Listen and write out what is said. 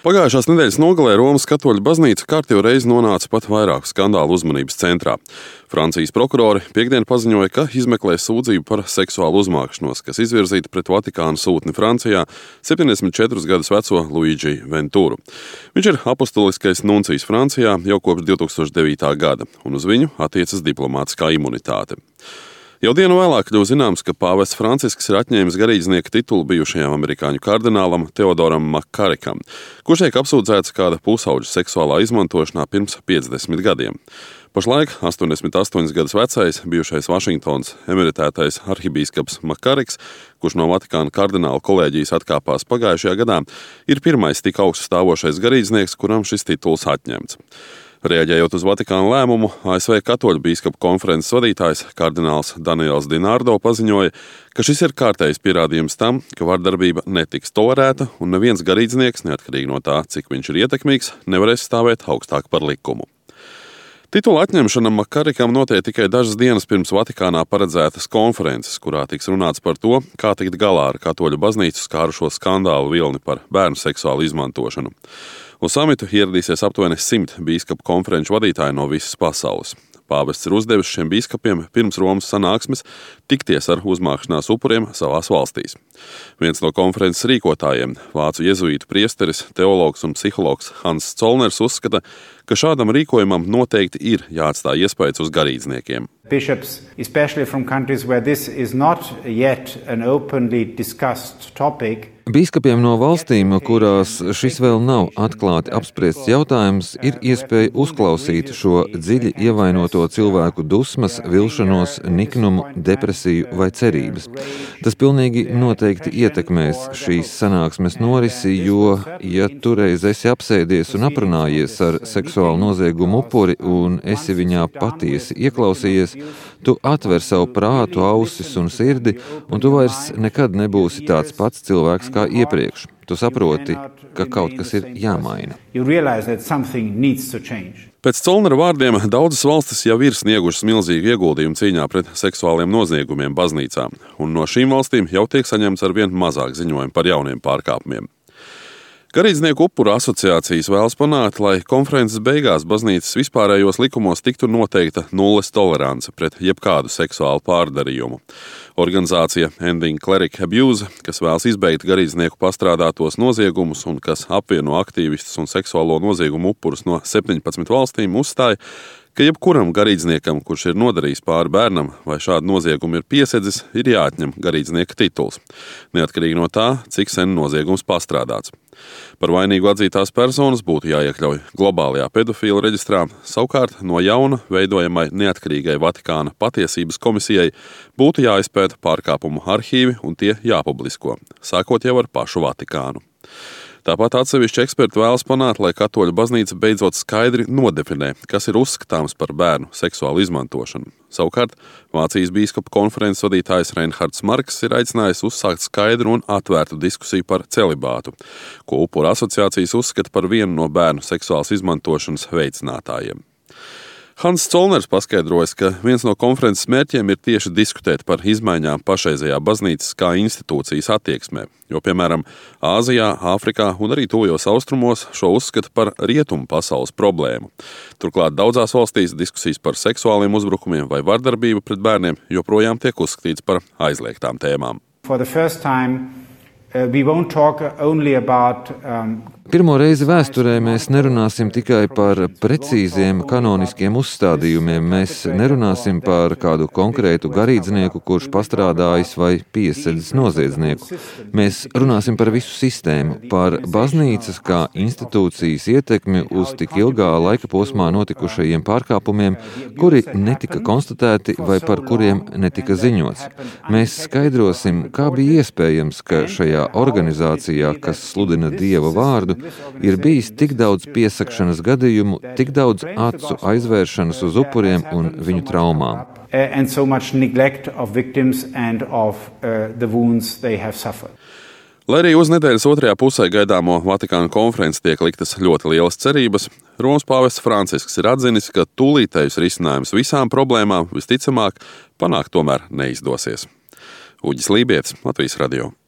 Pagājušās nedēļas nogalē Romas katoļu baznīca kārtējo reizi nonāca pat vairāku skandālu uzmanības centrā. Francijas prokurori piektdien paziņoja, ka izmeklēs sūdzību par seksuālu uzmākšanos, kas izvirzīta pret Vatikāna sūtni Francijā 74 gadus veco Luigi Venturu. Viņš ir apostoliskais nuncijs Francijā jau kopš 2009. gada, un uz viņu attiecas diplomātiskā imunitāte. Jau dienu vēlāk kļuva zināms, ka pāvests Francisks ir atņēmis garīdznieka titulu bijušajam amerikāņu kardinālam Teodoram Makarikam, kurš tiek apsūdzēts kāda pusauģa seksuālā izmantošanā pirms 50 gadiem. Pašlaik 88 gadus vecais, bijušais Vašingtonas emeritētais arhibīskaps Makariks, kurš no Vatikāna kardināla kolēģijas atkāpās pagājušajā gadā, ir pirmais tik augstu stāvošais garīdznieks, kuram šis tituls atņemts. Reaģējot uz Vatikāna lēmumu, ASV katoļu bīskapu konferences vadītājs kardināls Daniels Dinardo paziņoja, ka šis ir kārtējs pierādījums tam, ka vardarbība netiks tolerēta un neviens garīdznieks, neatkarīgi no tā, cik viņš ir ietekmīgs, nevarēs stāvēt augstāk par likumu. Titula atņemšana Makarikam notiek tikai dažas dienas pirms Vatikānā paredzētas konferences, kurā tiks runāts par to, kā tikt galā ar katoļu baznīcu skārušo skandālu vilni par bērnu seksuālu izmantošanu. Uz samitu ieradīsies aptuveni 100 bīskapu konferenču vadītāji no visas pasaules. Pāvests ir uzdevis šiem bīskapiem pirms Romas sanāksmes tikties ar uzmākšanās upuriem savās valstīs. Viens no konferences rīkotājiem, vācu jezuītu priesteris, teologs un psihologs Hans Zollners uzskata, ka šādam rīkojumam noteikti ir jāatstāj iespējas uz garīdzniekiem. Bishops, especially from countries where this is not yet an openly discussed topic, Bīskapiem no valstīm, kurās šis vēl nav atklāti apspriests jautājums, ir iespēja uzklausīt šo dziļi ievainoto cilvēku dusmas, vilšanos, niknumu, depresiju vai cerības. Tas pilnīgi noteikti ietekmēs šīs sanāksmes norisi, jo, ja toreiz esi apsēdies un aprunājies ar seksuālu noziegumu upuri un esi viņā patiesi ieklausījies, tu atver savu prātu, ausis un sirdi, un tu vairs nekad nebūsi tāds pats cilvēks kā iepriekš. Tu saproti, ka kaut kas ir jāmaina. Pēc Zollnera vārdiem daudzas valstis jau ir sniegušas milzīgu ieguldījumu cīņā pret seksuāliem noziegumiem baznīcām, un no šīm valstīm jau tiek saņemts arvien mazāk ziņojumu par jauniem pārkāpumiem. Garīdznieku upuru asociācijas vēlas panākt, lai konferences beigās baznīcas vispārējos likumos tiktu noteikta nulles tolerance pret jebkādu seksuālu pārdarījumu. Organizācija Ending Cleric Abuse, kas vēlas izbeigt garīdznieku pastrādātos noziegumus un kas apvieno aktīvistus un seksuālo noziegumu upurus no 17 valstīm, uzstāja, ka jebkuram garīdzniekam, kurš ir nodarījis pāri bērnam vai šādu noziegumu ir piesedzis, ir jāatņem garīdznieka tituls, neatkarīgi no tā, cik sen noziegums pastrādāts. Par vainīgu atzītās personas būtu jāiekļauj globālajā pedofīla reģistrā, savukārt no jauna veidojamai neatkarīgai Vatikāna patiesības komisijai būtu jāizpēta pārkāpumu arhīvi un tie jāpublisko, sākot jau ar pašu Vatikānu. Tāpat atsevišķi eksperti vēlas panākt, lai katoļu baznīca beidzot skaidri nodefinē, kas ir uzskatāms par bērnu seksuālu izmantošanu. Savukārt, Vācijas bīskapu konferences vadītājs Reinhards Marks ir aicinājis uzsākt skaidru un atvērtu diskusiju par celibātu, ko upuru asociācijas uzskata par vienu no bērnu seksuālas izmantošanas veicinātājiem. Hans Zollners paskaidrojas, ka viens no konferences mērķiem ir tieši diskutēt par izmaiņām pašreizējā baznīcas kā institūcijas attieksmē, jo, piemēram, Āzijā, Āfrikā un arī tuvajos austrumos šo uzskata par rietumu pasaules problēmu. Turklāt daudzās valstīs diskusijas par seksuāliem uzbrukumiem vai vardarbību pret bērniem joprojām tiek uzskatīts par aizliegtām tēmām. Pirmo reizi vēsturē mēs nerunāsim tikai par precīziem kanoniskiem uzstādījumiem. Mēs nerunāsim par kādu konkrētu garīdznieku, kurš pastrādājis vai piesedzis noziedznieku. Mēs runāsim par visu sistēmu, par baznīcas kā institūcijas ietekmi uz tik ilgā laika posmā notikušajiem pārkāpumiem, kuri netika konstatēti vai par kuriem netika ziņots. Mēs skaidrosim, kā bija iespējams, ka šajā organizācijā, kas sludina Dieva vārdu, ir bijis tik daudz piesakšanas gadījumu, tik daudz acu aizvēršanas uz upuriem un viņu traumām. Lai arī uz nedēļas otrajā pusē gaidāmo Vatikāna konferenci tiek liktas ļoti lielas cerības, Romas pāvests Francisks ir atzinis, ka tūlītējus risinājums visām problēmām visticamāk panākt tomēr neizdosies. Uģis Lībietis, Latvijas radio.